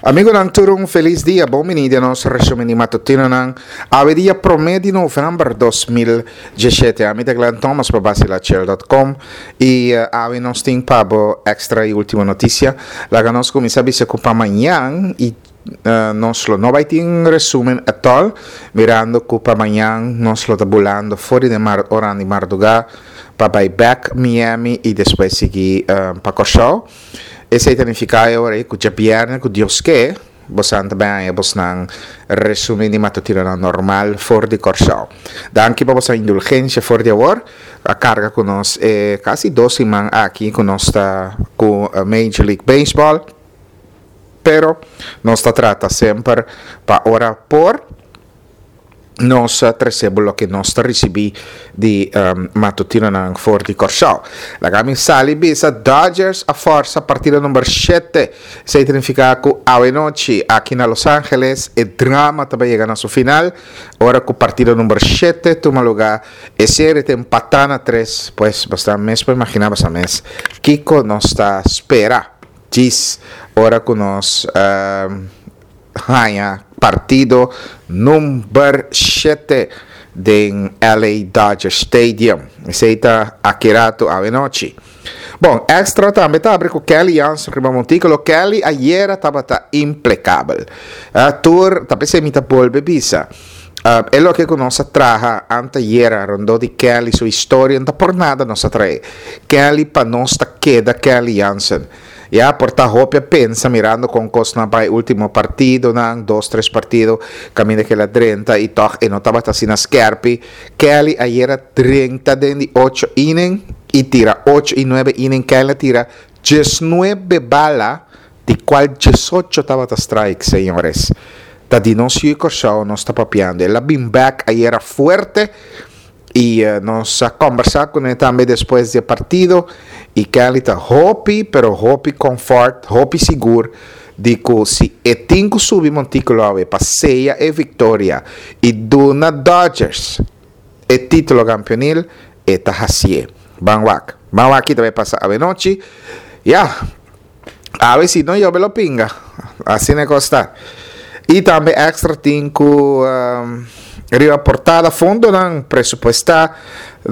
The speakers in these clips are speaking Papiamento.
Amigonan tur un felis dia, bon bini den nos resumen di matutinonan. Awe dia prome di november 2017. Ami ta Glenn Thomas pa basilachel.com y eh, awe nos tin pa bo extra y ultimo noticia. Laga nos cuminsa bisa cu pa mañan y eh, nos lo no bai tin resumen at all, mirando cu pa mañan nos lo ta bulando for di mar ora di marduga pa bai back Miami y despues sigui eh, pa Kòrsou. Esei ta nifiká e ora ei ku djabièrnè ku Dios ke, bosan ta bai haña bosnan resumí di matutinonan normal for di Kòrsou. Danki pa boso indulgensia for di awor. A karga ku nos e kasi dos siman aki ku nos ta ku Major League Baseball. Pero nos ta trata semper pa ora por. Nos a trese bo loke nos ta risibí di matutinonan for di Kòrsou. Laga mi sali bisa Dodgers a fòrsa partido number shete. Esei ta nifiká ku awenochi aki na Los Angeles e drama ta bai yega na su final ora ku partido number shete tuma lugá. E serie ta empatá na tres, pues basta mes por imaginá basta mes kiko nos ta spera djis ora ku nos haña partido number shete den LA Dodger Stadium. Esei ta aki ratu awenochi. Bon, Extra tambe ta abri ku Kelly Jansen riba montíkulo. Kelly ayera tabata implekabel. Uh, tur, ta p'esei mi ta bolbe bisa. Uh, e loke ku nos a traha antayera rondó di Kelly su historia, no ta por nada nos a trae. Kelly pa nos ta keda Kelly Jansen. Ya por ta hopi a pensa mirando con cosnan bay ultimo partidonan, dos tres partido caminda cu el a drenta y toch e no tabata asina skerpi. Kelly ayer a drenta den di ocho inning y tira ocho y nuebe inning. Kelly a tira diesnuebe bala di cual diesocho tabata strike, señores. Ta di nos yu Corsou nos ta papiando. El a bin back ayera fuerte. Y nos a combersa cune tambe despues di e partido y Kelly ta hopi pero hopi comfort, hopi sigur di cu si e tin cu subi monticulo awe pa seya e victoria y duna Dodgers e titulo campeonil, e ta hacié. Ban wak. Ban wak ki ta bay pasa awe nochi. Ya. Awe si no yobe lo pinga. Asina e kos ta. I tambe extra tin ku um, riba portada fondonan presupuestá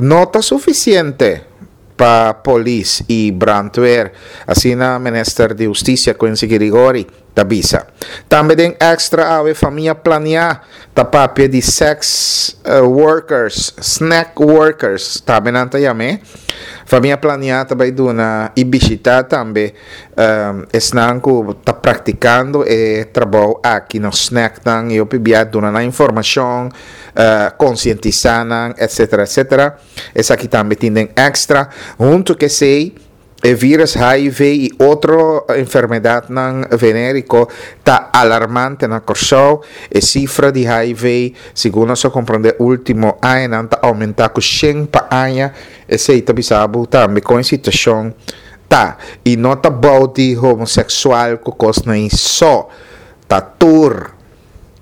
no ta sufisiente pa polis i brandweer. Asina minister di Hustisia Quincy Girigori ta bisa. Tambe den extra awe famia planiá ta papia di sex eh, workers, snack workers, tambe nan ta yam'é. Famia planiá ta bai duna i bishitá tambe um, esnan ku ta praktikando e trabou aki na snacknan i hopi bia duna nan informashon, uh, konsientisá nan, etcetera, etcetera. Esaki tambe tin den extra. Huntu ku esei, E virus HIV i otro enfermedadnan veneriko ta alarmante na Kòrsou. E sifra di HIV, segun nos a komprondé último añanan, ta oumentá ku shen pa aña. Esei ta bisa bo tambe kon e situashon ta. I no ta bou di homoseksual ku kosnan ei so, ta tur.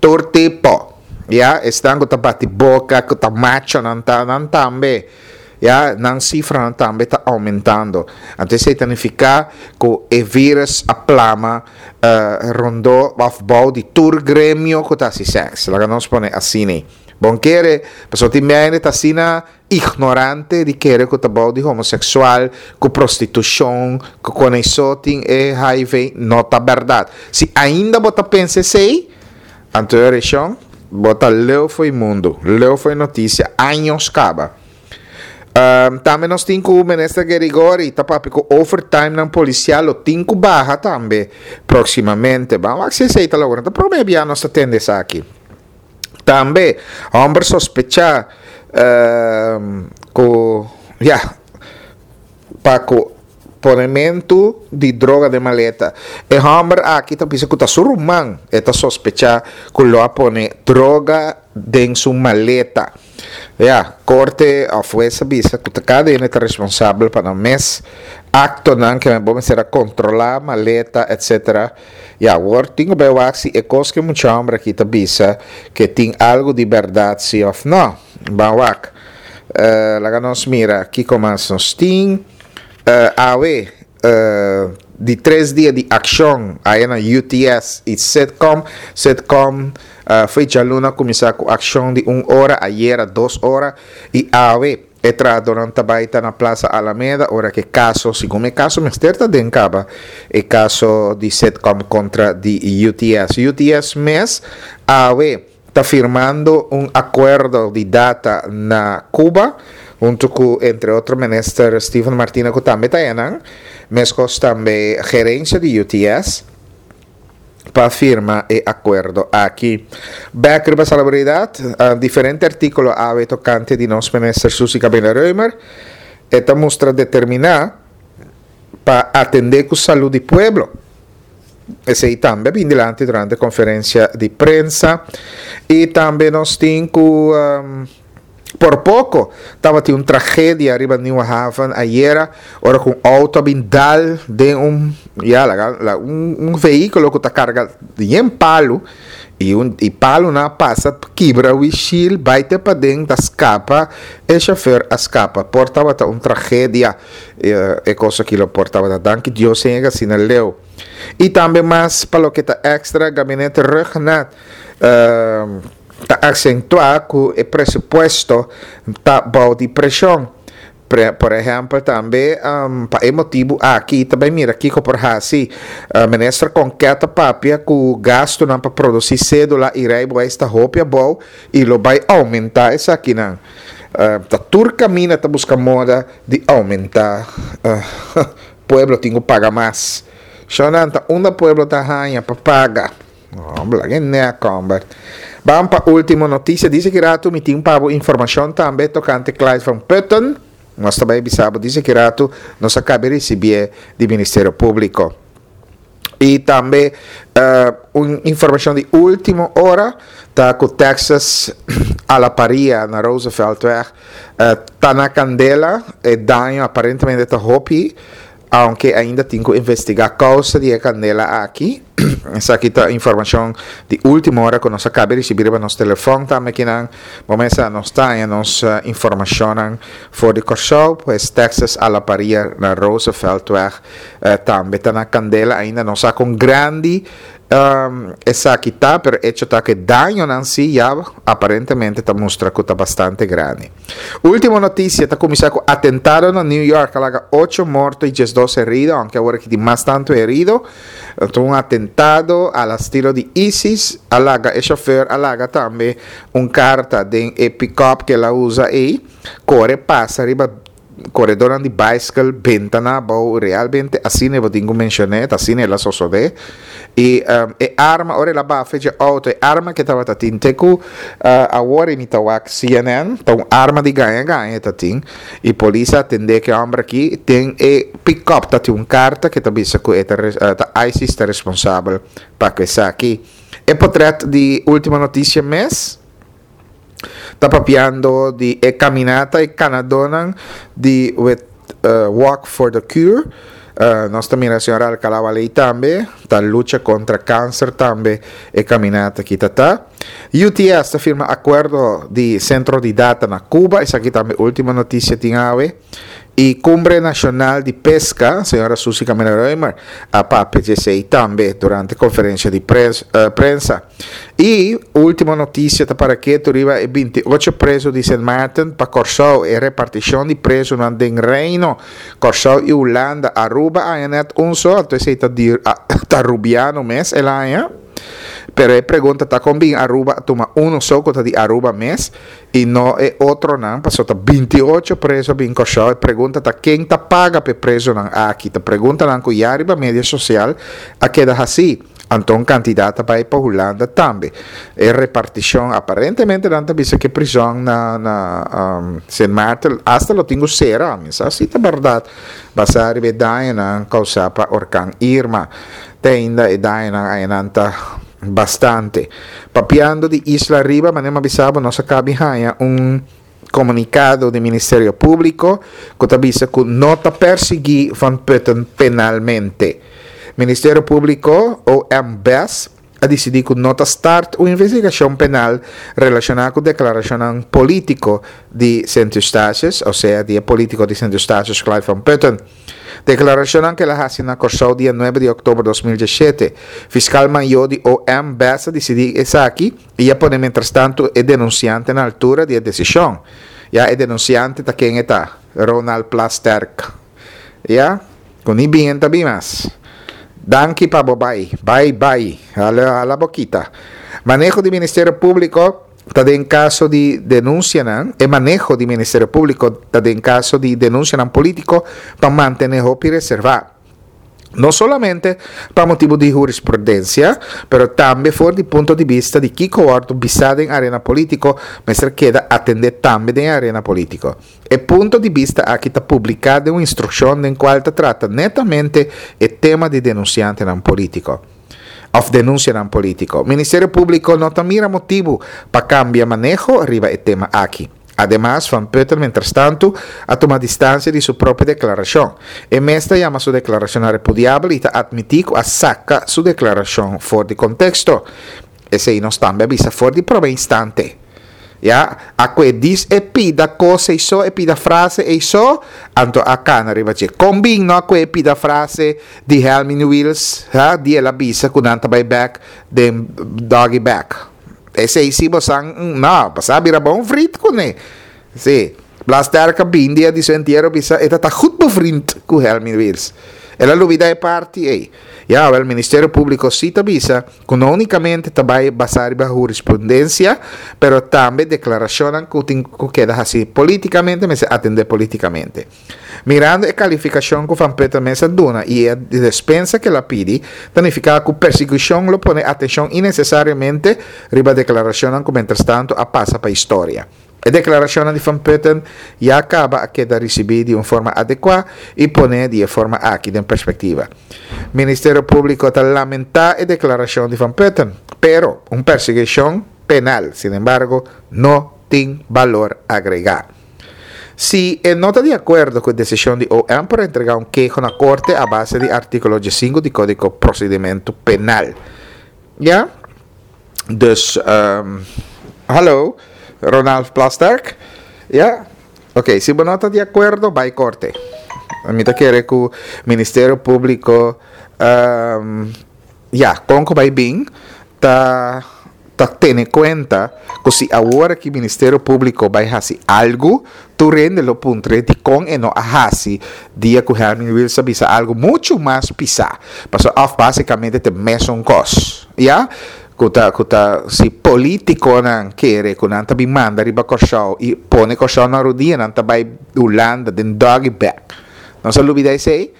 Tur tipo. Ya, esnan ku ta bati boka, ku ta machonan ta, nan tambe. Ya, nan sifranan tambe ta oumentando. Anto esei ta nifiká ku e vírus a plama rondó òf bou di tur gremio ku ta hasi sèks. Laga nos pone asina. Bon kere, pasobra tin hende ta asina ignorante di kere ku ta bou di homoseksual, ku prostitushon, ku koneisó tin e hiv, no ta bèrdat. Si ainda bo ta pensa esei, anto e orashon, bo ta leu fo'i mundu, leu fo'i notisia, años kaba. Tambe nos tin ku Minister Gerigori ta papia ku overtimenan polisial lo tin ku baha tambe próksimamente. Ban wak si esei ta logra. Ta promé bia nos ta tende esaki. Tambe, homber sospecha cu, ya, pa cu ponementu di droga den maleta. E homber aki ta bisa cu ta su ruman e ta sospecha cu lo a pone droga den su maleta. Ya, corte of hues a bisa cu ta cada hende ta responsabel pa nan mes actonan, ke bo mester a controla maleta, etc. Ya, awor tin ku bai wak si e kos ku e mucha hòmber aki ta bisa ke tin algu di bèrdat si òf nò. Ban wak. Laga nos mira kiko mas nos tin. Awe. Di tres dia di akshon aya na UTS i Sitcom. Sitcom foi djaluna kuminsá ku akshon di un ora, ayera dos ora i awe e trahadónan ta bai ta na Plaza Alameda ora ku e kaso, segun e kaso mester ta den kaba, e kaso di Sitcom kontra di UTS. UTS mes awe ta firmando un akuerdo di data na Cuba huntu ku entre otro minister Steven Martina ku tambe ta enan, meskos tambe gerensia di UTS pa firma e akuerdo aki. Bek riba Salabridat, diferente artíkulo awe tokante di nos minister Suzy Cabela Römer, e ta mustra determiná pa atendé ku salú di pueblo. Esei tambe a bin dilanti durante konferensia di prensa. I tambe nos tin ku por poko tabatin un tragedia riba Nieuwe Haven ayera ora ku un outo a bin dal den un ya laga un un vehíkulo ku ta karga yen palu i un i palunan a pasa kibra wishil bai te paden ta skapa e shofer a skapa por tabata un tragedia. E kos aki lo por tabata danki Dios sin yega asina leu. I tambe mas pa loke ta extra, Gabinete Rhuggenaath ta aksentuá ku e presupuesto ta bou di preshon. Por ehèmpel tambe pa e motibu aki ta bai mira kiko por hasi. Minister Konket ta papia ku gastunan pa produsí sédula i reibewijs ta hopi abou i lo bai oumentá esakinan. Ta tur kaminda ta buska moda di oumentá. Pueblo tin ku paga mas. Shonnan ta unda pueblo ta haña pa paga? Homber, laga e nek, homber. Ban pa último notisia. Dice ki ratu mi tin pa bo informashon tambe tokante Clyde van Putten. Nos ta bai bisa bo dice ki ratu nos a kabe risibié di Ministerio Públiko. Y tambe un informacion di ultimo ora ta cu Texas a la Paria na Rooseveltweg ta na candela. E daño aparentemente ta hopi, aunke ainda tin cu investiga causa di e candela aki. Esaki ta informacion di ultimo ora cu nos a cabe ricibi riba nos telefon tambe kinan. Bo mester nos ta haña nos informacionnan for di Corsou, pues Texas a la Paria na Rooseveltweg. Tambe ta na kandela ainda no sa kon grandi esaki ta pero echo ta ku e dañonan si ya aparentemente ta mustra ku ta bastante grandi. Ultimo notisia ta kuminsá ku atentado na New York a laga ocho morto i diesdos herido aunke awor aki tin mas tantu herido. Ta un atentado a la stilo di ISIS a laga e shofer a laga tambe un karta den e pickup ku el a usa ei kore pasa riba Koredónan di baiskel benta na abou, realmente asina e bo tin ku menshoné, ta asina el a sosodé. I e arma, ora el a bafe dje outo, e arma ku e tabata tin te ku awor i mi ta wak CNN, ta un arma di gaña gaña e ta tin. I polis a atendé ku e hòmber aki den e pikòp ta tin un karta ku ta bisa ku e ta ta ISIS ta responsabel pa ku esaki. E potrèt di Ultimo Noticia mes. Ta papiando di e caminata e canadonan di with Walk for the Cure. Nos ta mira señor Alcalá Waley tambe ta lucha contra cancer tambe e caminata aki ta ta. UTS ta firma acuerdo di centro di data na Cuba, esaki tambe ultimo noticia tin awe. Y Cumbre Nacional di Pesca, señora Suzy Camila Römer a papia dje esey tambe durante conferencia di prensa. Y ultimo noticia ta para ketu riba e 28 preso di Sint Maarten pa Corsou, e reparticion di presonan den Reino, Corsou y Hulanda, Aruba a haña net un so, anto esey ta di ta Rubiano mes el a haña. Pero e pregunta ta con bin Aruba a tuma uno so cu ta di Aruba mes y no e otronan, pasobra ta 28 preso a bin Corsou, e pregunta ta ken ta paga pa e presonan aki, ta preguntanan cu ya riba media social a keda haci. Anto un kantidat ta bai pa Hulanda tambe. E repartishon aparentemente nan ta bisa ku e prizòn na na Sint Maarten asta lo tin ku sera. Mi sa si ta bèrdat basá riba e dañonan kousá pa orkan Irma. Te ainda e dañonan ayanan ta bastante. Papiando di Isla Riba, manera mi a bisa bo nos a kabi haña un komunikado di Ministerio Públiko ku ta bisa ku no ta persiguí Van Putten penalmente. Ministerio Públiko, OMBS, a disidí ku no ta start un investigashon penal relashoná ku deklarashonnan polítiko di Sint Eustatius, osea di e polítiko di Sint Eustatius Clyde van Putten. Deklarashonnan ku el a hasi na Kòrsou dia nuebe di òktober 2017. Fiskal mayó di OM bes a disidí esaki i a pone mientrastantu e denunsiante na altura di e desishon. Ya e denunsiante ta ken e ta? Ronald Plasterk. Ya, ku ni bien ta bin mas. Danki pa bo bai. Bai bai. Hala hala bo kita. Maneho di Ministerio Públiko ta den kaso di denunsianan, e maneho di Ministerio Públiko ta den kaso di denunsianan polítiko pa mantené hopi reservá. No solamente pa motibu di hurisprudensia, pero tambe for di punto di bista di kiko wòrdu bisá den arena polítiko mester keda atendé tambe den e arena polítiko. E punto di bista aki ta publiká den un instrukshon den kual ta trata netamente e tema di denunsiantenan polítiko òf denunsianan polítiko. Ministerio Públiko no ta mira motibu pa kambia maneho riba e tema aki. Ademas, Van Putten mientrastantu a tuma distansia di su propio deklarashon. E mes ta yama su deklarashonnan repudiabel i ta atmití ku a saka su deklarashon for di konteksto. Esei nos tambe a bisa for di promé instante. Ya, a kue dis e pida kos ei so, e pida frase ei so, anto a kana riba dje. Kon bin no a kue e pida frase di Helmin Wiels, ha, di el a bisa ku nan ta bai bèk den doggy bag. Esei si bo san, no, bo sa bira bon vriend kuné. Si, Plasterk a bin dia di su entiero bisa e ta ta goed bevriend ku Helmin Wiels. El a lubida e parti ei. Ya, wèl, Ministerio Públiko si ta bisa ku no únikamente ta bai basá riba hurisprudensia, pero tambe deklarashonnan ku tin ku keda hasí polítikamente mester atendé polítikamente. Mirando e kalifikashon ku Van Putten mes a duna i e despensa ku el a pidi, ta nifiká ku persekushon lo pone atenshon inesesariamente riba deklarashonnan ku mientrastantu a pasa pa historia. E deklarashonnan di Van Putten ya kaba a keda risibí di un forma adekuá i poné di e forma aki den perspektiva. Ministerio Públiko ta lamentá e deklarashon di Van Putten, pero un persiguishon penal, sinembargo, no tin balor agregá. Si e no ta di akuerdo ku e desishon di OM por entregá un keho na korte a base di artíkulo diesinku di Kódigo Prosedimentu Penal. Ya? Dus, hallo, Ronald Plasterk. Ya? Ok, si bo no ta di akuerdo, bai korte. Mi ta kere ku Ministerio Públiko, ya, kon ku bai bin ta ta tene kuenta ku si awor aki Ministerio Públiko bai hasi algu, tur hende lo puntr'é dikon e no a hasi dia ku Herman Wiels a bisa algu muchu mas pisá. Pasobra òf básikamente ta e mesun kos, ya? Ku ta ku ta si polítikonan kere ku nan ta bin manda riba Kòrsou i pone Kòrsou na rudia nan ta bai Hulanda den doggy bag. Nos a lubida esei?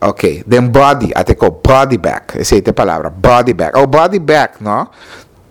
Ok, den body, a te ko body bag, esei ta e palabra, body bag. Oh, body bag, no?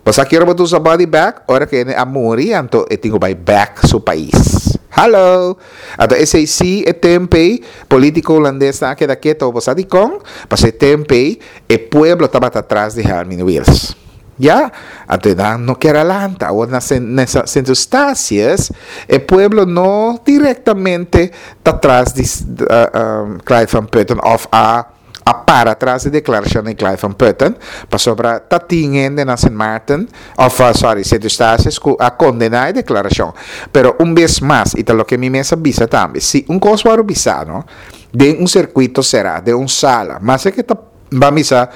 Bo sa ki ora bo ta usa body bag? Ora ku hende a muri, anto e tin ku bai bek su pais. Hallo! Anto esei si e tempu ei, politiko hulandesnan a keda keto. Bo sa dikon? Pasobra e tempu ei, e pueblo tabata tras di Helmin Wiels. Ya, anto e nan no kier a lanta. Awor na Sint Eustatius e pueblo no directamente ta tras di Clyde van Putten of a a para tras di declaracion di Clyde van Putten, pasobra ta tin hende na Sint Maarten of sorry Sint Eustatius cu a condena e declaracion. Pero un bes mas, y ta loke mi mes a bisa tambe, si un cos worde bisa no, den un circuito cera, den un sala, mas e ke ta Ban bisa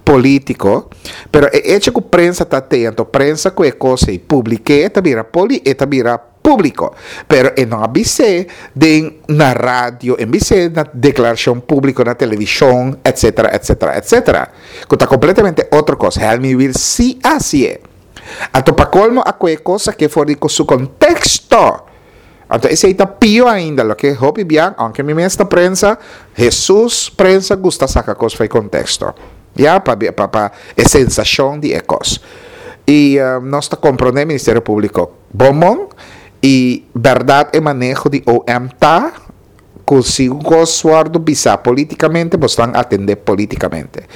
politico, pero e hecho cu prensa ta te, anto prensa cu e cos ey publike ta bira poli, e ta bira publico. Pero e no a bis'é den na radio, e bis'é na declaracion publico na television, etcetera, etcetera, etcetera. Cu ta completamente otro cos. Helmi Wiels si a hacié. Anto pa colmo a coge cos aki for di su contexto. Anto esei ta pio ainda, loke hopi bian, aunke mi mes ta prensa, Hesus prensa gusta saka kos for e konteksto. Ya, pa pa pa e sensashon di e kos. I nos ta komprondé Ministerio Públiko bon bon i bèrdat e maneho di OM ta ku si un kos wòrdu bisá polítikamente bo stan atendé polítikamente.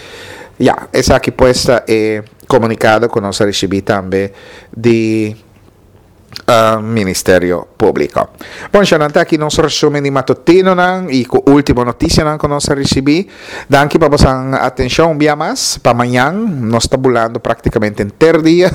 Ya, esaki pues ta e komunikado ku nos a risibí tambe di. Ministerio Públiko. Bon, shanan ta aki nos resumen di matutinonan i ku último notisianan ku nos a risibí. Danki pa bosan atenshon un bia mas. Pa mañan nos ta bulando práktikamente henter dia.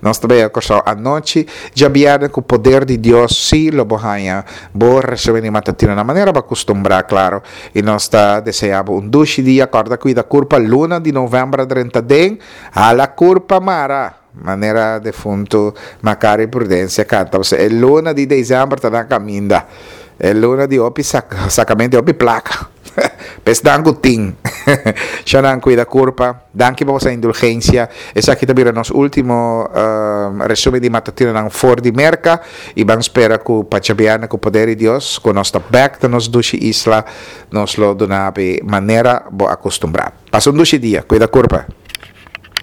Nos ta bai a Kòrsou anochi. Djabièrnè ku poder di Dios sí lo bo haña bo resumen di matutinonan manera bo a kustumbrá, klaro. I nos ta deseá bo un dushi dia. Kòrda kuida kurpa luna di novèmber a drenta den. Hala kurpa mara! Manera defuntu Macario Prudencia canta, pasobra e luna di december ta na caminda. E luna di hopi sacamento di hopi placa. P'esnan cu tin. Shanan cuida curpa. Danki pa boso indulgencia. Esaki ta bira nos ultimo resumen di matutinonan for di Merca. Y ban spera cu pa djabièrnè cu poder di Dios cu nos ta bek na nos dushi isla, nos lo duna bo manera bo a custumbra. Pasa un dushi dia. Cuida curpa.